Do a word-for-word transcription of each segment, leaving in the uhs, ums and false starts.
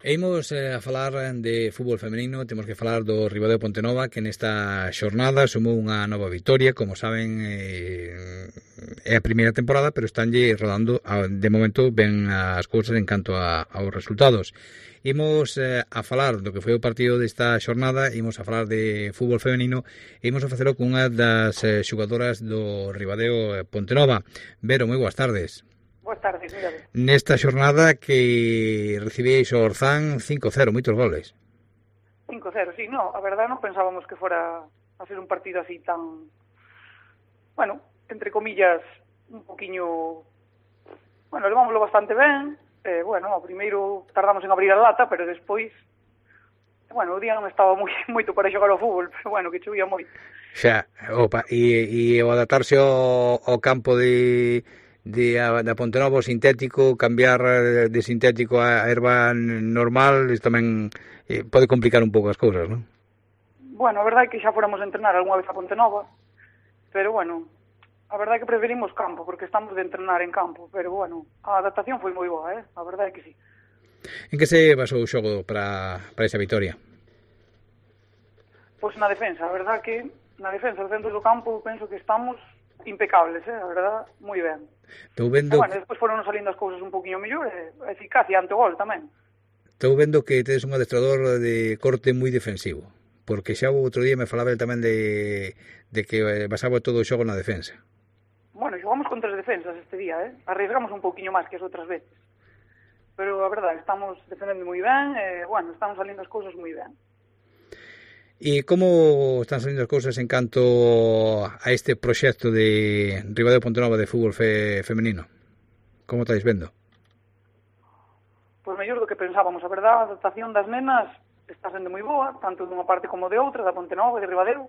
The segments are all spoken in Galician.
E imos eh, a falar de fútbol femenino, temos que falar do Ribadeo Pontenova, que nesta xornada sumou unha nova vitoria. Como saben, eh, é a primeira temporada, pero estanlle rodando, a, de momento, ben as cousas en canto a, aos resultados. Imos eh, a falar do que foi o partido desta xornada, imos a falar de fútbol femenino, e imos a facelo con unha das eh, xogadoras do Ribadeo Pontenova. Vero, moi boas tardes. Boas tardes, mira. Nesta xornada que recibíais o Orzán cinco cero, moitos goles. cinco cero, sí, no, a verdade non pensábamos que fora a ser un partido así tan, bueno, entre comillas, un poquiño, bueno, levámoslo bastante ben, eh, bueno, ao primeiro tardamos en abrir a lata, pero despois, bueno, o día non estaba moi, moito para xogar ao fútbol, pero bueno, que chovía moito. Xa, opa, e, e o adaptarse ao, ao campo de... de da Pontenova sintético, cambiar de sintético a erva normal, isto tamén eh, pode complicar un pouco as cousas, non? Bueno, a verdade é que xa fóramos a entrenar algunha vez a Pontenova, pero bueno, a verdade é que preferimos campo, porque estamos de entrenar en campo, pero bueno, a adaptación foi moi boa, eh? A verdade é que sí. En que se basou o xogo para, para esa vitoria? Pois na defensa, a verdade que na defensa, dentro do campo, penso que estamos impecables, eh? A verdade, moi ben. Estou vendo... E, bueno, despois foron salindo as cousas un poquinho mellor, e a eficacia ante o gol tamén. Estou vendo que tedes un adestrador de corte moi defensivo, porque xa o outro día me falaba tamén de, de que basaba todo o xogo na defensa. Bueno, xogamos con tres defensas este día, eh? Arriesgamos un pouquiño máis que as outras veces. Pero a verdade, estamos defendendo moi ben, e, bueno, estamos salindo as cousas moi ben. E como están salindo as cousas en canto a este proxecto de Ribadeo Pontenova de fútbol fe, femenino? Como estáis vendo? Pois mellor do que pensábamos, a verdade, a adaptación das nenas está sendo moi boa, tanto dunha parte como de outra, da Pontenova e de Ribadeo.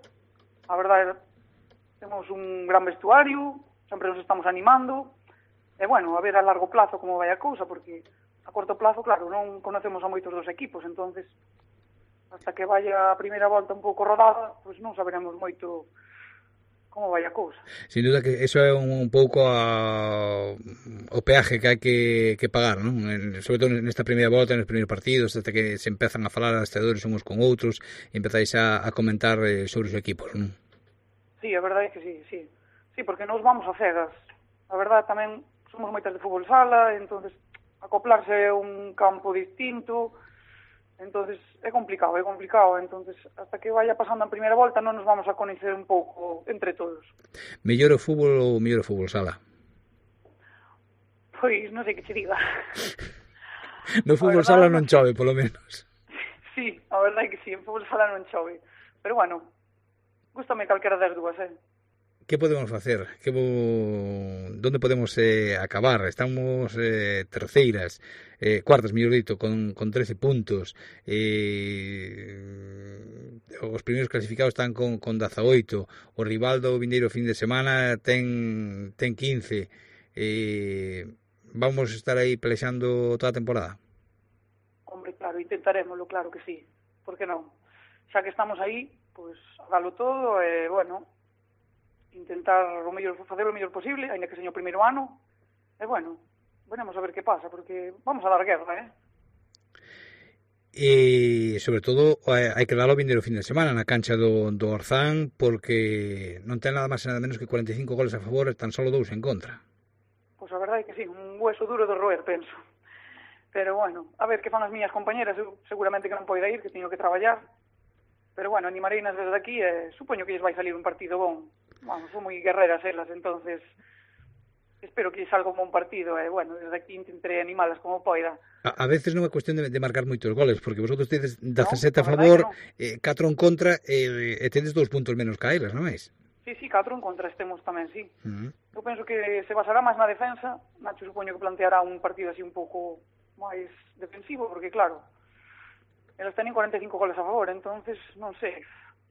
A verdade, temos un gran vestuario, sempre nos estamos animando, e bueno, a ver a largo plazo como vai a cousa, porque a corto plazo, claro, non conocemos a moitos dos equipos, entonces hasta que vaya a primeira volta un pouco rodada, pois non saberemos moito como vai a cousa. Sin duda que eso é un, un pouco a, o peaje que hai que, que pagar, non? En, sobre todo nesta primeira volta, nos primeiros partidos, hasta que se empezan a falar as adestradores uns con outros e empezáis a, a comentar eh, sobre os equipos, non? Sí, a verdade é que sí, sí. Sí, porque nos vamos a cegas. A verdade tamén somos moitas de fútbol sala, entonces acoplarse a un campo distinto, entonces é complicado, é complicado, entonces hasta que vaya pasando a primeira volta non nos vamos a coñecer un pouco entre todos. Mellor o fútbol ou mellor o fútbol sala? Pois non sei que che diga. No fútbol sala non chove, polo menos. Sí, a verdade é que sí, en fútbol sala non chove. Pero bueno, gústame calquera das dúas, eh? Que podemos facer? Que bo... Donde podemos eh, acabar? Estamos eh, terceiras, eh, cuartas, mellor dito, con, con trece puntos. Eh, os primeiros clasificados están con, con dezaoito. O rival do vindeiro fin de semana ten, ten quince. Eh, vamos a estar aí pelexando toda a temporada? Hombre, claro, intentaremoslo, claro que sí. Por que non? Xa que estamos aí, pois, pues, dalo todo, e, eh, bueno... intentar o mellor, facer o mellor posible, aínda que seña o primeiro ano, e bueno, veremos a ver que pasa, porque vamos a dar guerra, eh? E, sobre todo, hai que darlo o vindeiro fin de semana na cancha do, do Orzán, porque non ten nada máis e nada menos que cuarenta e cinco goles a favor e tan solo dous en contra. Pois a verdade é que sí, un hueso duro de roer, penso. Pero bueno, a ver que fan as miñas compañeras, eu seguramente que non poida ir, que teño que traballar, pero bueno, animareinas desde aquí e supoño que lles vai salir un partido bon. Vamos, son moi guerreras elas, entonces espero que salga un bon partido e, bueno, desde aquí intentaré animalas como poida. A, a veces non é cuestión de, de marcar moitos goles, porque vosotros tedes dezasete no, a favor, no. eh, catro en contra e, e tedes dous puntos menos que elas, non é? Sí, sí, catro en contra estemos tamén, sí. Uh -huh. Eu penso que se basará máis na defensa, Nacho supoño que planteará un partido así un pouco máis defensivo, porque claro, elas tenen cuarenta e cinco goles a favor, entonces, non sei,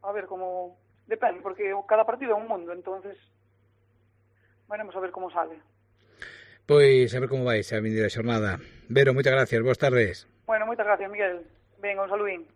a ver como... Depende, porque cada partido é un mundo, entonces veremos a ver como sale. Pois a ver como vai a vindeira xornada. Vero, moitas gracias, boas tardes. Bueno, moitas gracias, Miguel. Venga, un saludín.